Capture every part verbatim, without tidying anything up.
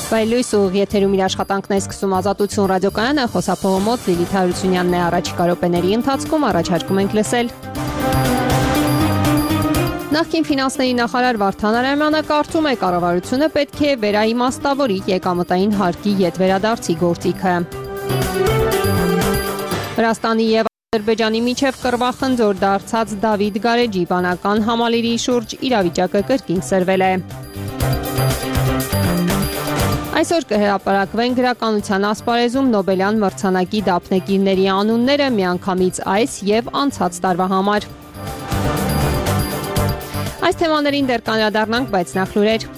Բայլույս ու եթերում իր աշխատանքն է սկսում Ազատություն ռադիոկայանը, խոսափողը մոտ Լիլիթ Հարությունյանն է առաջիկա րոպեների ընթացքում առաջարկում ենք լսել։ Նախկին ֆինանսների նախարար Վարդան Արամյանը կարծում է կառավարությունը պետք է վերաիմաստավորի եկամտային հարկի ետ վերադարձի գործիքը։ Վրաստանի և Ադրբեջանի միջև կռվախնձոր դարձած Դավիթ Գարեջի բանական համալիրի շուրջ իրավիճակը կրկին սրվել է։ Այսօր կհրապարակվեն գրականության ասպարեզում Նոբելյան մրցանակի դափնեկիրների անունները միանգամից այս և անցած տարվա համար։ Այս թեմաներին դեռ կանդրադառնանք, բայց նախ լուրեր։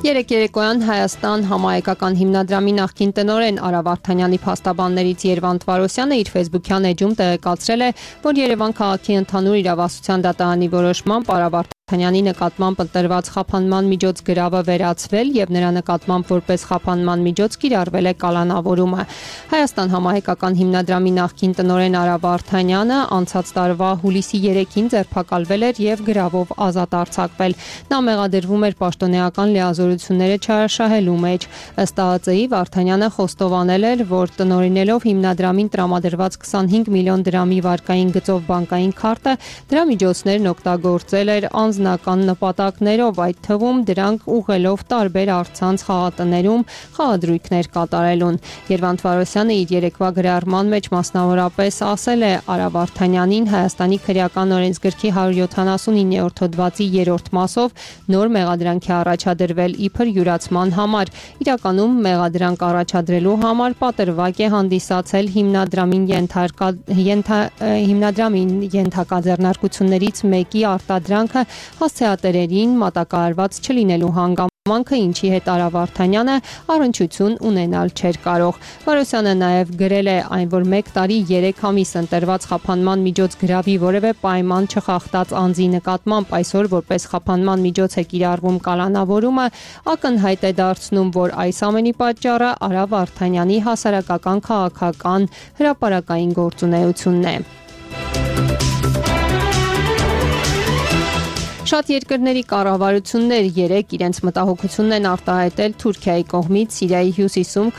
Երեկ երեկոյան Հայաստան համահայկական հիմնադրամի նախկին տնօրեն Արա Վարդանյանի փաստաբաններից Երվանդ Վարոսյանը իր ֆեյսբուքյան էջում տեղեկացրել է, որ Երևան քաղաքի ընդհանուր իրավասության դատարանի որոշմամբ Արա Վարդանյանի նկատմամբ ընտրված խափանման միջոց գրավը վերացվել եւ նրա նկատմամբ որպես խափանման միջոց կիրառվել է կալանավորումը։ Հայաստան համահայկական հիմնադրամի նախկին տնօրեն Արա Վարդանյանը անցած տարվա հուլիսի երեքին ձերբակալվել էր եւ գրավով ազատ արձակվել։ Նա մեղադրվում էր պաշտոնեական լիազորությունները չարաշահելու մեջ։ Ըստ ԱԱԾ-ի Վարդանյանը խոստովանել էր, որ տնօրինելով հիմնադրամին տրամադրված քսանհինգ միլիոն դրամի վարկային գծով բանկային քարտը դրա միջոցներն օգտագործել էր անձնական նպատակներով, այդ թվում դրանք ուղղելով տարբեր առցանց խաղատներում խաղադրույքներ կատարելուն։ Երվանդ Վարոսյանը իր երեկվա գրառման մեջ մասնավորապես ասել է Արա Վարդանյանին Հայաստանի քրեական օրենսգրքի հարյուր յոթանասունիններորդ հոդվածի երրորդ մասով նոր մեղադրանք է առաջադրվել իբր յուրացման համար։ Իրականում մեղադրանք առաջադրելու համար պատրվակ է հանդիսացել հիմնադրամին ենթարկա ենթա հիմնադրամին ենթակա ձեռնարկություններից մեկի արտադրանքը հասցեատերերին մատակարարված չլինելու հանգամանքը, ինչի հետ Արա Վարդանյանը առնչություն ունենալ չէր կարող։ Վարոսյանը նաև գրել է այն, որ մեկ տարի երեք ամիս ընտրված խափանման միջոց գրավի որևէ պայման չխախտած անձի նկատմամբ այսօր որպես խափանման միջոց է կիրառվում կալանավորումը, ակնհայտ է դարձնում, որ այս ամենի պատճառը Արա Վարդանյանի հասարակական քաղաքական հրապարակային գործունեությունն է։ Շատ երկրների կառավարություններ երեկ իրենց մտահոգությունն են արտահայտել Թուրքիայի կողմից Սիրիայի հյուսիսում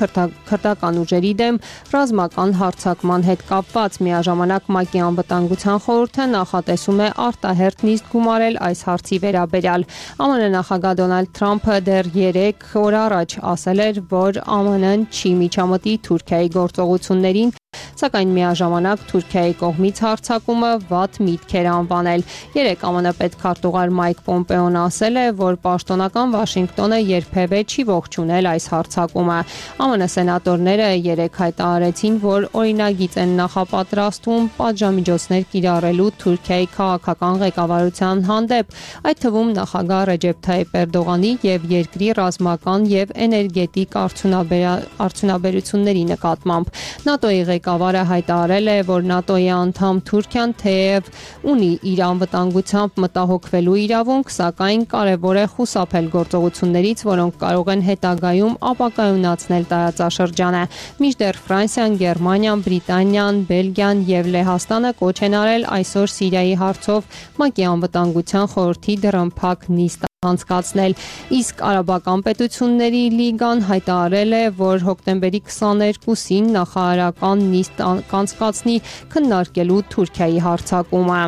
քրդական ուժերի դեմ ռազմական հարձակման հետ կապված։ Միաժամանակ ՄԱԿ-ի անվտանգության խորհուրդը նախատեսում է արտահերթ նիստ գումարել այս հարցի վերաբերյալ։ ԱՄՆ նախագահ Դոնալդ Թրամփը դեռ երեք օր առաջ ասել էր, որ ԱՄՆ-ն չի միջամտի Թուրքիայի գործողություններին, սակայն միաժամանակ Թուրքիայի կողմից հարձակումը վատ միտք էր անվանել։ Երեկ ԱՄՆ պետքարտուղար Մայք Պոմպեոն ասել է, որ պաշտոնական Վաշինգտոնը երբևէ չի ողջունել այս հարձակումը։ ԱՄՆ սենատորները երեկ հայտարարեցին, որ օրինագիծ են նախապատրաստում պատժամիջոցներ կիրառելու Թուրքիայի քաղաքական ղեկավարության հանդեպ, այդ թվում նախագահ Ռեջեփ Թայիփ Էրդողանի եւ երկրի ռազմական եւ էներգետիկ արդյունաբերությունների նկատմամբ։ ՆԱՏՕ-ի ղեկավարը հայտարարել է, որ ՆԱՏՕ-ի անդամ Թուրքիան թեև ունի իր անվտանգությամբ մտահոգվելու իրավունք, սակայն կարևոր է խուսափել գործողություններից, որոնք կարող են հետագայում ապակայունացնել տարածաշրջանը։ Մինչդեռ Ֆրանսիան, Գերմանիան, Բրիտանիան, Բելգիան եւ Լեհաստանը կոչ են արել այսօր Սիրիայի հարցով ՄԱԿ-ի անվտանգության խորհրդի դռնփակ նիստ անցկացնել, իսկ Արաբական պետությունների լիգան հայտարարել է, որ հոկտեմբերի քսաներկուսին նախարարական նիստ կանցկացնի քննարկելու Թուրքիայի հարձակումը։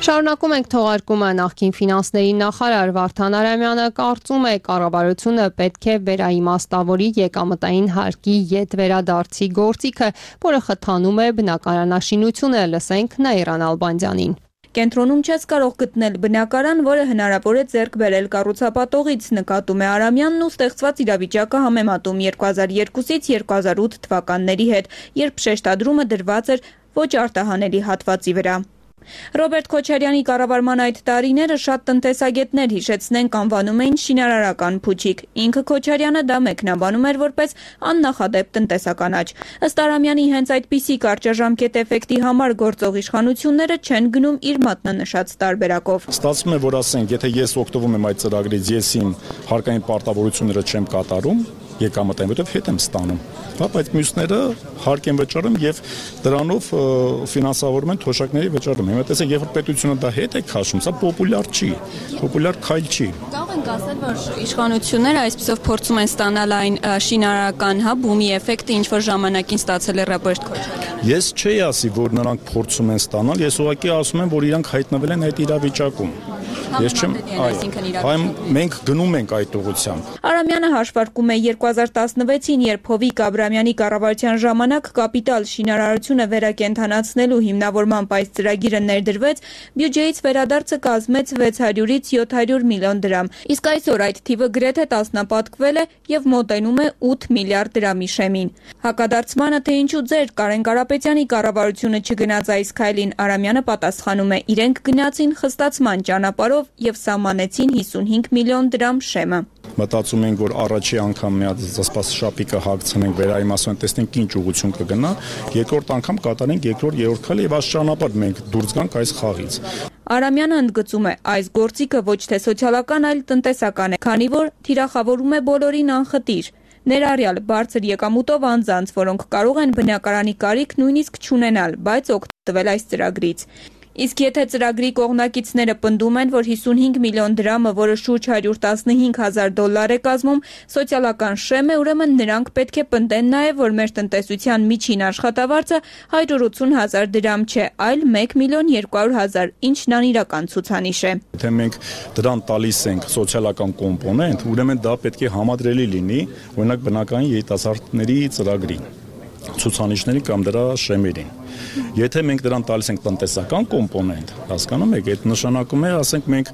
Շարունակում ենք թողարկումը։ Նախկին ֆինանսների նախարար Վարդան Արամյանը կարծում է, կառավարությունը պետք է վերաիմաստավորի եկամտային հարկի ետ վերադարձի գործիքը, որը խթանում է բնակարանաշինությունը։ Լսենք Նաիրա Նալբանդյանին։ Կենտրոնում չես կարող գտնել բնակարան, որը հնարավոր է ձեռք բերել կառուցապատողից, նկատում է Արամյանն ու ստեղծված իրավիճակը համեմատում երկու հազար երկուսից երկու հազար ութ թվականների հետ, երբ շեշտադրումը դրված էր ոչ արտահանելի հատվածի վրա։ Ռոբերտ Քոչարյանի կառավարման այդ տարիները շատ տնտեսագետներ հիշեցնենք անվանում էին շինարարական փուչիկ։ Ինքը Քոչարյանը դա մեկնաբանում էր որպես աննախադեպ տնտեսական աճ։ Ըստ Արամյանի հենց այդպիսի կարճաժամկետ էֆեկտի համար գործող իշխանությունները չեն գնում իր մատնանշած տարբերակով։ Ստացվում է, որ ասենք, եթե ես օգտվում եմ այդ ծրագրից, ես իմ հարկային պարտավորությունները չեմ կատարում, եկամտային, որտեղ հետ եմ ստանում։ Հա, բայց մյուսները հարկ են վճարում եւ դրանով ֆինանսավորում են թոշակների վճարում։ Հիմա տեսեք, երբ պետությունը դա հետ է քաշում, սա պոպուլյար չի, պոպուլյար քայլ չի։ Կարող ենք ասել, որ իշխանությունները այսպեսով փորձում են ստանալ այն շինարարական հա բումի էֆեկտը, ինչ որ ժամանակին ստացել է Ռոբերտ Քոչարյանը։ Ես չէի ասի, որ նրանք փորձում են ստանալ, ես ուղղակի ասում եմ, որ իրանք հայտնվել են այդ իրավիճակում։ Ես չեմ, այո, մենք գնում ենք այդ ուղղությամբ։ Արամյանը հաշվարկում է երկու հազար տասնվեցին, երբ Հովիկ Աբրամյանի կառավարության ժամանակ կապիտալ շինարարությունը վերակենդանացնելու հիմնավորման այս ծրագիրը ներդրվեց, բյուջեից վերադարձը կազմեց վեց հարյուրից յոթ հարյուր միլիոն դրամ։ Իսկ այսօր այդ թիվը գրեթե տասնապատկվել է եւ մոտենում է ութ միլիարդ դրամի շեմին։ Հակադարձմանը, թե ինչու ձեր Կարեն Կարապետյանի կառավարությունը չգնաց այս քայլին, Արամյանը պատասխանում է. իրենք գնացին խստացման ճանապարհով եւ սահմանեցին հիսունհինգ միլիոն դրամ շեմը։ Մտածում ենք, որ առաջի անգամ մի հատ զսպաս շապիկը հագցնենք, վերայմասում ենք, տեսնենք ինչ ուղղություն կգնա, երկրորդ անգամ կատարենք երկրորդ երրորդ քայլը եւ այս ճանապարհ մենք դուրս գանք այս խաղից։ Արամյանը ընդգծում է, այս գործիքը ոչ թե սոցիալական, այլ տնտեսական է, քանի որ թիրախավորում է բոլորին անխտիր։ Ներառյալ բարձր եկամուտով անձանց, որոնք կարող են բնակարանի կարիք նույնիսկ չունենալ, բայց օգտվել այս ծրագրից։ Իսկ եթե ծրագրի կողմնակիցները պնդում են, որ հիսունհինգ միլիոն դրամը, որը շուրջ հարյուր տասնհինգ հազար դոլար է կազմում, սոցիալական շեմ է, ուրեմն նրանք պետք է պնդեն նաև, որ մեր տնտեսության միջին աշխատավարձը հարյուր ութուն հազար դրամ չէ, այլ մեկ միլիոն երկու հարյուր հազար, ինչն անիրական ցուցանիշ է։ Եթե մենք դրան տալիս ենք սոցիալական կոմպոնենտ, ուրեմն դա պետք է համադրելի լինի, օրինակ բնակային երիտասարդների ծրագրին, ցուցանիշների կամ դրա շեմերին։ Եթե մենք դրան տալիս ենք տնտեսական կոմպոնենտ, հասկանում եք, այդ նշանակում է, ասենք մենք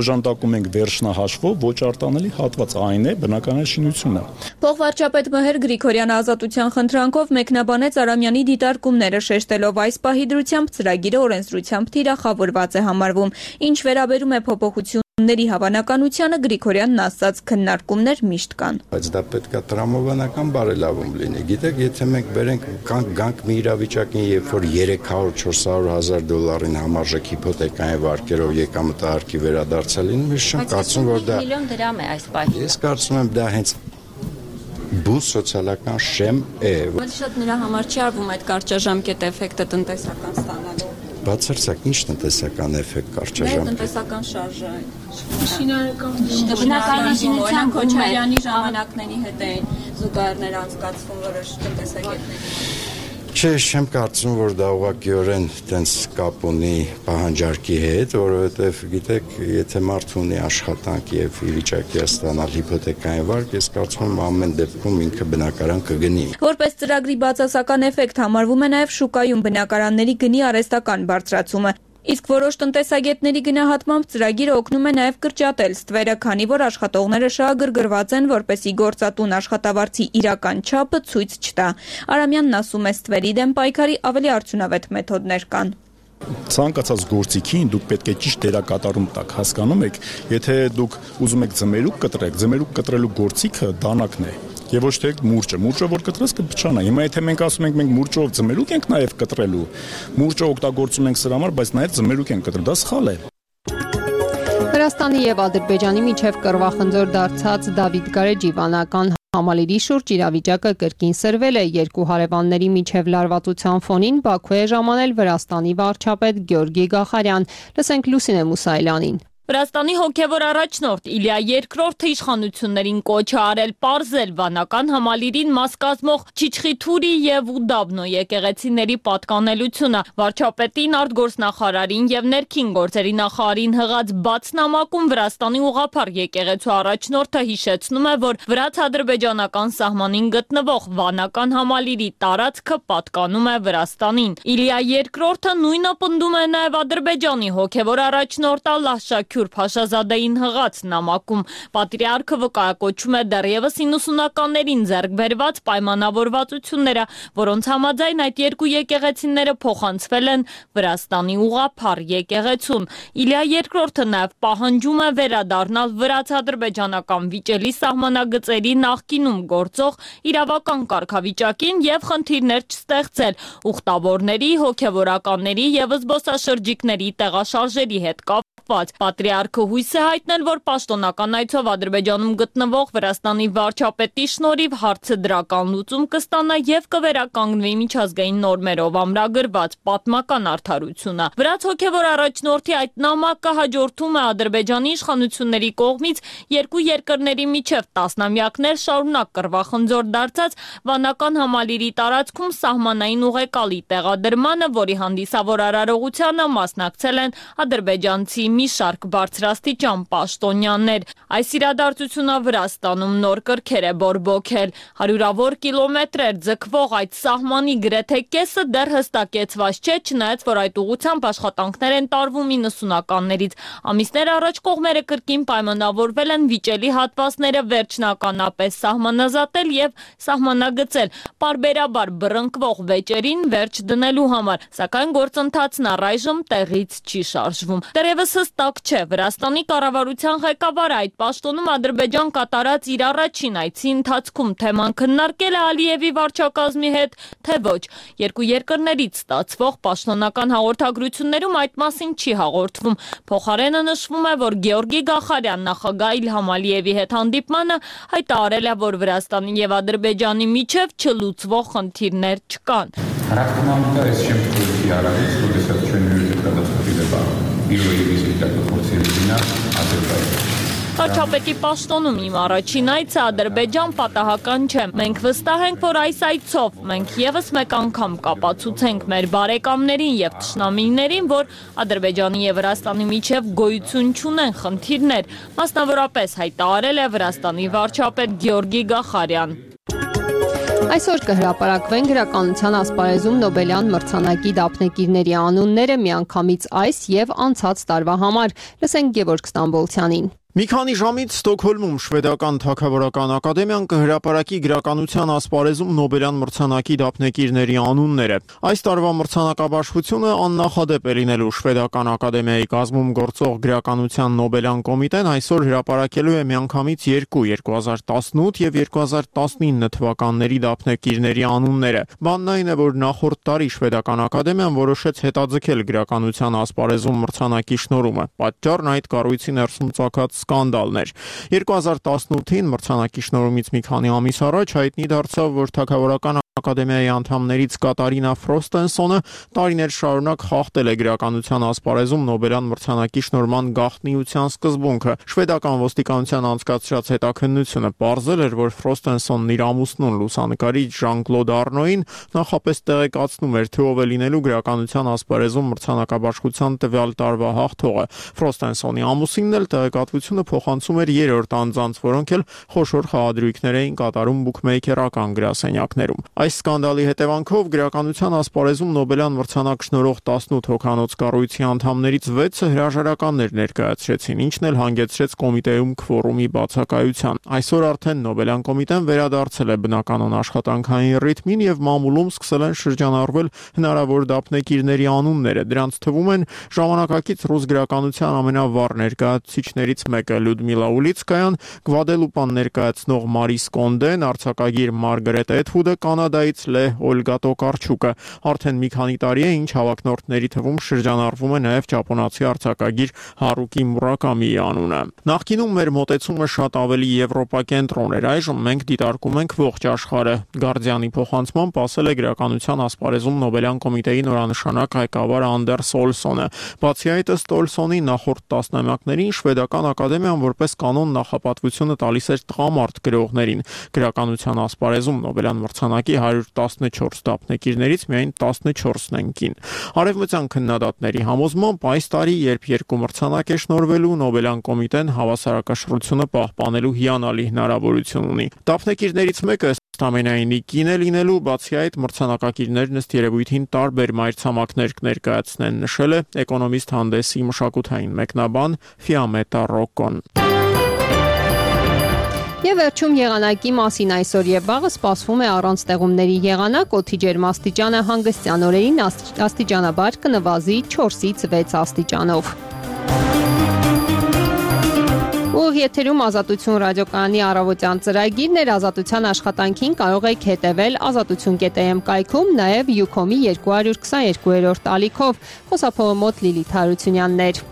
օժանդակում ենք վերջնահաշվով ոչ արտանելի հատված, այն է բնակարանի շինությունը։ Փոխվարչապետ Մհեր Գրիգորյանը ազատության խնդրանքով մեկնաբանեց Արամյանի դիտարկումները, շեշտելով այս պահի դրությամբ ծրագիրը օրենսդրությամբ թիրախավորված է համարվում, ինչ վերաբերում է փոփոխություն ների հավանականությանը Գրիգորյանն ասաց քննարկումներ միշտ կան։ Բայց դա պետք է տրամաբանական բարելավում լինի։ Գիտեք, եթե մենք բերենք կանք գանք մի իրավիճակին, երբ որ երեք հարյուր չորս հարյուր հազար դոլարին համարժեք հիփոթեկային վարկերով եկամտահարկի վերադարձա լինում, ես չեմ կարծում, որ դա միլիոն դրամ է այս պահին։ Ես կարծում եմ դա հենց բու սոցիալական շեմ է։ Բայց շատ նրա համար չի արվում այդ կարճաժամկետ էֆեկտը տնտեսական ստանալու։ Բացարձակ ինչ տնտեսական էֆեկտ կարճաժամ։ Տնտեսական շարժը։ Շինարարական բնակարանաշինության Քոչարյանի ժամանակների հետ էին զուգահեռներ անցկացվում որոշ տնտեսագետների։ Չէ, չեմ կարծում, որ դա ուղղակիորեն տենց կապ ունի պահանջարկի հետ, որովհետև գիտեք, եթե մարդ ունի աշխատանք եւ ի վիճակի է ստանալ հիփոթեկային վարկ, ես կարծում եմ ամեն դեպքում ինքը բնակարան կգնի։ Որպես ծրագրի բացասական էֆեկտ համարվում է նաեւ շուկայում բնակարանների գնի արհեստական բարձրացումը։ Իսկ որոշ տնտեսագետների գնահատմամբ ծրագիրը օգնում է նաև կրճատել ստվերը, քանի որ աշխատողները շահագրգռված են, որպեսզի գործատուն աշխատավարձի իրական չափը ցույց չտա։ Արամյանն ասում է, ստվերի դեմ պայքարի ավելի արդյունավետ մեթոդներ կան։ Ցանկացած գործիքին դուք պետք է ճիշտ դերակատարում տաք, հասկանում եք, եթե դուք ուզում եք ձմերուկ կտրեք, ձմերուկ կտրելու գործիքը դանակն է։ Եվ ոչ թե մուրճը, մուրճը որ կտրես կփչանա։ Հիմա եթե մենք ասում ենք մենք մուրճով ձմերուկ ենք նաև կտրելու, մուրճը օգտագործում ենք սրա համար, բայց նաև ձմերուկ ենք կտրել, դա սխալ է։ Վրաստանի եւ Ադրբեջանի միջև կռվախնձոր դարձած Դավիթ Գարեջի վանական համալիրի շուրջ իրավիճակը կրկին սրվել է երկու հարևանների միջև լարվածության ֆոնին Բաքու է ժամանել Վրաստանի վարչապետ Գյորգի Գախարյան։ Լսենք Լուսինե Մուսայելյանին։ Վրաստանի հոգևոր առաջնորդ Իլիա Երկրորդը իշխանություններին կոչ է արել պարզել վանական համալիրին մաս կազմող Չիչխիթուրի եւ Ուդաբնո եկեղեցիների պատկանելությունը։ Վարչապետին, արտգործնախարարին եւ ներքին գործերի նախարարին հղած բաց նամակում Վրաստանի ուղղափառ եկեղեցու առաջնորդը հիշեցնում է, որ վրաց-ադրբեջանական սահմանին գտնվող վանական համալիրի տարածքը պատկանում է Վրաստանին։ Իլիա Երկրորդը նույնը պնդում է նաեւ Ադրբեջանի հոգևոր առաջնորդ Ալլահ Շաքյուր Փաշազադեին հղած նամակում։ Պատրիարքը վկայակոչում է դեռևս իննսունականներին ձեռք բերված պայմանավորվածությունները, որոնց համաձայն այդ երկու եկեղեցիները փոխանցվել են Վրաստանի ուղղափառ եկեղեցուն։ Իլիա Երկրորդը նաև պահանջում է վերադառնալ վրաց-ադրբեջանական վիճելի սահմանագծերի նախկինում գործող իրավական կարգավիճակին եւ խնդիրներ չստեղծել ուխտավորների, հոգևորականների եւ զբոսաշրջիկների տեղաշարժերի հետ կապ կապված։ Պատրիարքը հույս է հայտնել, որ պաշտոնական այցով Ադրբեջանում գտնվող Վրաստանի վարչապետի շնորհիվ հարցը դրական լուծում կստանա եւ կվերականգնվի միջազգային նորմերով ամրագրված պատմական արդարությունը։ Վրաց հոգևոր առաջնորդի այդ նամակը հաջորդում է Ադրբեջանի իշխանությունների կողմից երկու երկրների միջև տասնամյակներ շարունակ կռվախնձոր դարձած վանական համալիրի տարածքում սահմանային ուղեկալի տեղադրմանը, որի հանդիսավոր արարողությանը մասնակցել են ադրբեջանցի մի շարք բարձրաստիճան պաշտոնյաներ։ Այս իրադարձությունը Վրաստանում նոր կրքեր է բորբոքել։ Հարյուրավոր կիլոմետրեր ձգվող այդ սահմանի գրեթե կեսը դեռ հստակեցված չէ, չնայած որ այդ ուղղությամբ աշխատանքներ են տարվում իննսունականներից։ Ամիսներ առաջ կողմերը կրկին պայմանավորվել են վիճելի հատվածները վերջնականապես սահմանազատել եւ սահմանագծել, պարբերաբար բռնկվող վեճերին վերջ դնելու համար, սակայն գործընթացն առայժմ տեղից չի շարժվում։ Դեռևս հստակ չէ Վրաստանի կառավարության ղեկավարը այդ պաշտոնում Ադրբեջան կատարած իր առաջին այցի ընթացքում թեման քննարկել է Ալիևի վարչակազմի հետ, թե ոչ։ Երկու երկրներից ստացվող պաշտոնական հաղորդագրություններում այդ մասին չի հաղորդվում։ Փոխարենը նշվում է, որ Գեորգի Գախարյան նախագահ Իլհամ Ալիևի հետ հանդիպմանը հայտարարել է, որ Վրաստանի եւ Ադրբեջանի միջև չլուծվող խնդիրներ չկան։ Характерно есть чем-то ярким, что достаточно когда способен первый визит такой середина Азербайджана. Վարչապետի պաշտոնում իմ առաջին այցը Ադրբեջան պատահական չէ։ Մենք վստահ ենք, որ այս այցով մենք եւս մեկ անգամ կապացուցենք մեր բարեկամներին եւ թշնամիներին, որ Ադրբեջանի եւ Վրաստանի միջև գոյություն չունեն խնդիրներ, մասնավորապես հայտարարել է Վրաստանի վարչապետ Գեորգի Գախարյան։ Այսօր կհրապարակվեն գրականության ասպարեզում Նոբելյան մրցանակի դափնեկիրների անունները միանգամից այս եւ անցած տարվա համար։ Լսենք Գևորգ Ստամբոլցյանին։ Մի քանի ժամից Ստոկհոլմում շվեդական թագավորական ակադեմիան կհրապարակի գրականության ասպարեզում Նոբելյան մրցանակի դափնեկիրների անունները։ Այս տարվա մրցանակաբաշխությունը աննախադեպ է լինելու շվեդական ակադեմիայի կազմում գործող գրականության Նոբելյան կոմիտեն այսօր հրապարակելու է միանգամից երկու երկու հազար տասնութ եւ երկու հազար տասնինը թվականների դափնեկիրների անունները։ Բանն այն է, որ նախորդ տարի շվեդական ակադեմիան որոշեց հետաձգել գրականության ասպարեզում մրցանակի շնորհումը։ Պատճառն այդ կառույցի ներսում ծագած սկանդալներ։ երկու հազար տասնութին մրցանակի շնորհումից մի քանի ամիս առաջ հայտնի դարձավ, որ թագավորական ակադեմիայի անդամներից Կատարինա Ֆրոստենսոնը տարիներ շարունակ խախտել է գրականության ասպարեզում Նոբելյան մրցանակի շնորհման գաղտնիության սկզբունքը։ Շվեդական ոստիկանության անցկացրած հետաքննությունը պարզել էր, որ Ֆրոստենսոնն իր ամուսնուն լուսանկարիչ Ժան-Կլոդ Արնոին նախապես տեղեկացնում էր, թե ով է լինելու գրականության ասպարեզում մրցանակաբաշխության տվյալ տարվա հաղթողը։ Ֆրոստենսոնի ամուսինն էլ տեղեկատվությունը փոխանցում էր երրորդ անձանց, որոնք էլ խոշոր խաղադրույքներ էին կատարում բուքմեյքերական գրասենյակներում։ Այս սկանդալի հետևանքով գրականության ասպարեզում Նոբելյան մրցանակ շնորհող տասնութ հոգանոց կառույցի անդամներից վեցը հրաժարականներ ներկայացրեցին, ինչն էլ հանգեցրեց կոմիտեում քվորումի բացակայության։ Այսօր արդեն Նոբելյան կոմիտեն վերադարձել է բնականon աշխատանքային ռիթմին եւ մամուլում սկսել են շրջանառվել հնարավոր դափնեկիրների անունները։ Դրանց թվում են ժամանակակից ռուս գրականության ամենավառ ներկայացուցիչներից մեկը Լյուդմիլա Ուլիցկայան, Գվադելուպան ներկայացնող Մարիս Կոնդեն, արձակագիր Մարգարետ Էթվուդը, կանադայից Լե Օլգա Տոկարչուկը։ Արդեն մի քանի տարի է, ինչ հավակնորդների թվում շրջանառվում է նաև ճապոնացի արձակագիր Հարուկի Մուրակամիի անունը։ Նախկինում մեր մոտեցումը շատ ավելի եվրոպակենտրոն էր, այժմ մենք դիտարկում ենք ողջ աշխարհը։ Գարդիանի փոխանցմամբ ասել է գրականության ասպարեզում Նոբելյան կոմիտեի նորանշանակ ղեկավար Անդերս Օլսոնը։ Բացի այդ, ըստ Օլսոնի, նախորդ տասնամյակներին շվեդական ակադեմիան որպես կանոն նախապատվությունը տալիս էր տղամարդ գրողներին։ Գրականության ասպարեզում Նոբելյան մրցանակի հարյուր տասնչորս դափնեկիրներից միայն տասնչորսն են կին։ Արևմտյան քննադատների համոզմամբ այս տարի, երբ երկու մրցանակ է շնորհվելու, Նոբելյան կոմիտեն հավասարակշռությունը պահպանելու հիանալի հնարավորություն ունի։ Դափնեկիրներից մեկը ամենայնի կին է լինելու, բացի այդ մրցանակակիրներն ըստ երևույթին տարբեր մայրցամաքներ կներկայացնեն, նշել է Էկոնոմիստ հանդեսի մշակութային մեկնաբան Ֆիամետա Ռոկոն։ Եվ վերջում եղանակի մասին այսօր եւ վաղը սպասվում է առանց տեղումների եղանակ, օդի ջերմաստիճանը հանգստյան օրերին աստիճանաբար կնվազի չորսից վեց աստիճանով։ Ուղիղ եթերում Ազատություն ռադիոկայանի առավոտյան ծրագիրն էր, Ազատության աշխատանքին կարող եք հետևել ազատություն կետ էմ կայքում, նաև Յուքոմի երկու հարյուր քսաներկուերորդ ալիքով։ Խոսափողը մոտ Լիլիթ Հարությունյանն էր։